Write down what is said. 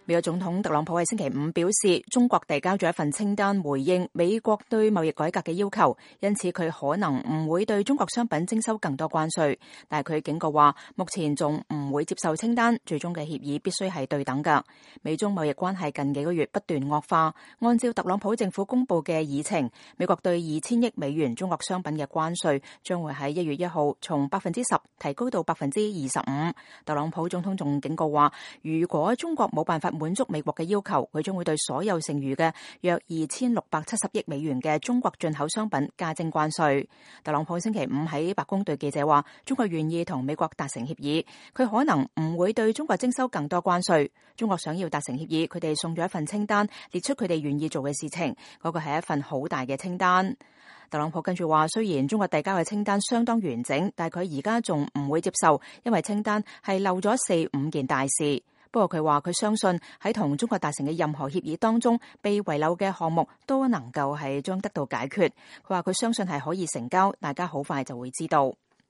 美國總統特朗普喺星期五表示，中國遞交咗一份清單回應美國對貿易改革嘅要求，因此佢可能唔會對中國商品徵收更多關稅。但係佢警告話，目前仲唔會接受清單，最終嘅協議必須係對等㗎。美中貿易關係近幾個月不斷惡化，按照特朗普政府公布嘅議程，美國對2000億美元中國商品嘅關稅將會喺1月1號從10%提高到25%。特朗普總統仲警告話，如果中國冇辦法滿足美國嘅要求，佢將會對所有剩餘嘅約2670億美元嘅中國進口商品加徵關稅。特朗普星期五喺白宮對記者話，中國願意同美國達成協議，佢可能唔會對中國徵收更多關稅。中國想要達成協議，佢哋送咗一份清單，列出佢哋願意做嘅事情，嗰個係一份好大嘅清單。特朗普跟住話，雖然中國遞交嘅清單相當完整，但係佢而家仲唔會接受，因為清單係漏咗4-5件大事。不過佢話佢相信喺同中國達成嘅任何協議當中，被遺漏嘅項目都能夠係將得到解決。佢話佢相信係可以成交，大家好快就會知道。